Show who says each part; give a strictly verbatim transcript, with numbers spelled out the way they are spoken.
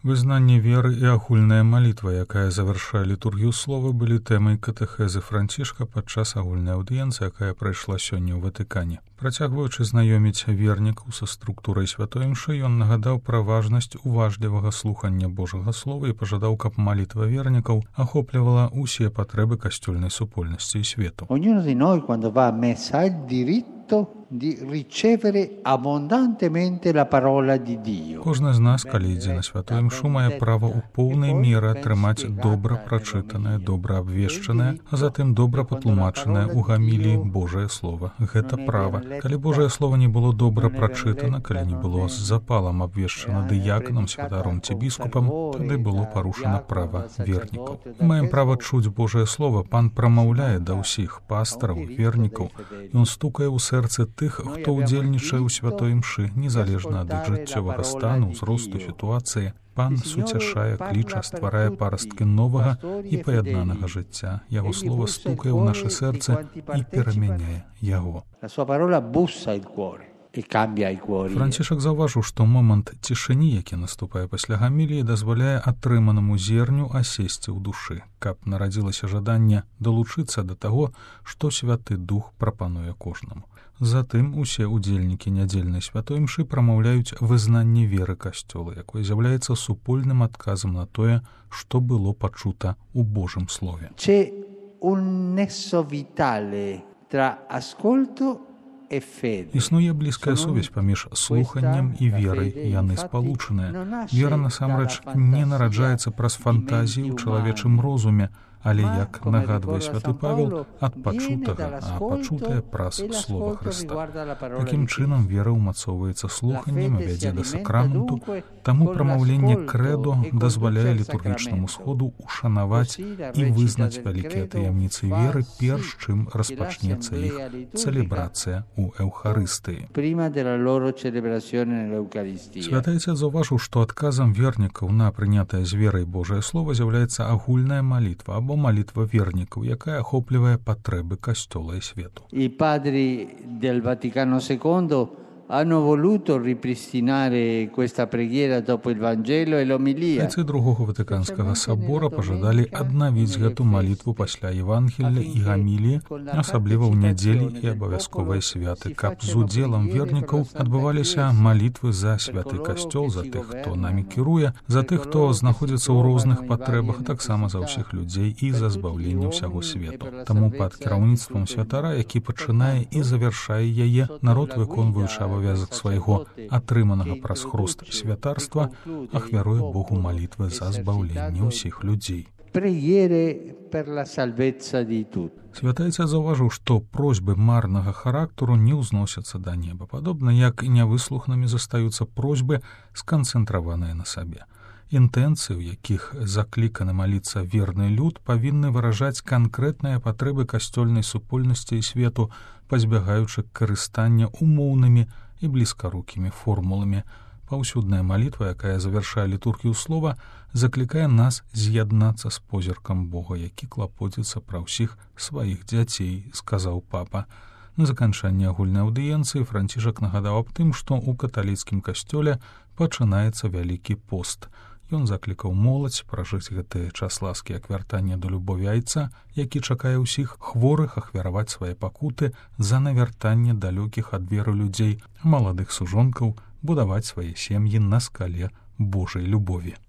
Speaker 1: Вызнанне веры і агульная малітва, якая завяршае літургію слова, былі тэмай катэхезы Францішка падчас агульнай аўдыенцыі, якая прайшла сёння ў Ватыкане. Працягваючы знаёміць вернікаў са структурай святой імшы, ён нагадаў пра важнасць уважлівага слухання Божага слова і пажадаў, каб малітва вернікаў ахоплівала ўсе патрэбы касцёльнай супольнасці і свету.
Speaker 2: Ognuno di noi quando va a messa ha il diritto di ricevere abbondantemente la parola di Dio.
Speaker 1: Кожны з нас, калі ідзе на святую імшу, мае права ў поўнай меры атрымаць добра прачытанае, добра абвешчанае, а затым добра патлумачанае ў гаміліі Божае слова. Гэта права. Калі Божае слова не было добра прачытана, калі не было з запалам абвешчана дыяканам, святаром ці біскупам, тады было парушана права вернікаў. Мы маем права чуць Божае слова. Пан прамаўляе да ўсіх пастараў, вернікаў. Ён стукае ў сэрцы тых, хто ўдзельнічае ў святой імшы, незалежна ад іх жыццёвага стану, ўзросту, сітуацыі. Пан суцяшае, кліча, стварае парасткі новага і паяднанага жыцця. Яго слова стукае ў наша сэрца і перамяняе яго. Францішак заўважыў, што момант цішыні, які наступае пасля гаміліі, дазваляе атрыманаму зерню асесці ў душы, каб нарадзілася жаданне далучыцца да таго, што Святы Дух прапануе кожнаму. Затым усе ўдзельнікі нядзельнай святой імшы прамаўляюць вызнанне веры касцёла, якое з'яўляецца супольным адказам на тое, што было пачута ў Божым слове.
Speaker 2: C'è un nesso vitale tra ascolto.
Speaker 1: Існуе блізкая сувязь паміж слуханнем і верай, яны спалучаныя. Вера насамрэч не нараджаецца праз фантазіі ў чалавечым розуме, але, як нагадвае святы Павел, ад пачутага, а пачутае праз слова Хрыста. Такім чынам вера ўмацоўваецца слуханнем і вядзе да сакраменту, таму прамаўленне крэдо дазваляе літургічнаму сходу ушанаваць і вызнаць вялікія таямніцы веры, перш чым распачнецца іх цэлебрацыя ў Эўхарыстыі. Святы Айцец заўважыў, што адказам вернікаў на прынятае з верай Божае слово з'яўляецца агульная малітва або малітва вернікаў, якая ахоплівае патрэбы касцёла і свету.
Speaker 2: I padri del Vaticano secondo hanno voluto ripristinare questa preghiera dopo il Vangelo e l'omelia.
Speaker 1: Айцы другога Ватыканскага сабора пажадалі аднавіць гэту малітву пасля Евангелля і гаміліі, асабліва ў нядзелі і абавязковыя святы, каб з удзелам вернікаў адбываліся малітвы за святы касцёл, за тых, хто намі кіруе, за тых, хто знаходзіцца ў розных патрэбах, таксама за ўсіх людзей і за збаўленне ўсяго свету. Таму пад кіраўніцтвам святара, які пачынае і завяршае яе, народ, выконваючы абавязак свайго атрыманага праз хруст святарства, ахвяруе Богу малітвы за збаўленне ўсіх людзей. Святы Айцец заўважыў, што просьбы марнага характару не ўзносяцца да неба, падобна як і нявыслуханымі застаюцца просьбы, сканцэнтраваныя на сабе. Інтэнцыі, у якіх закліканы маліцца верны люд, павінны выражаць канкрэтныя патрэбы касцёльнай супольнасці і свету, пазбягаючы карыстання умоўнымі і блізкарукімі формуламі. Паўсюдная малітва, якая завяршае літургію слова, заклікае нас з'яднацца з позіркам Бога, які клапоціцца пра ўсіх сваіх дзяцей, сказаў папа. На заканчанне агульнай аўдыенцыі Францішак нагадаў аб тым, што ў каталіцкім касцёле пачынаецца вялікі пост. Ён заклікаў моладзь пражыць гэты час ласкі як вяртання да любові Айца, які чакае ўсіх хворых ахвяраваць свае пакуты за навяртанне далёкіх ад веры людзей, маладых сужонкаў будаваць свае сем'і на скале Божай любові.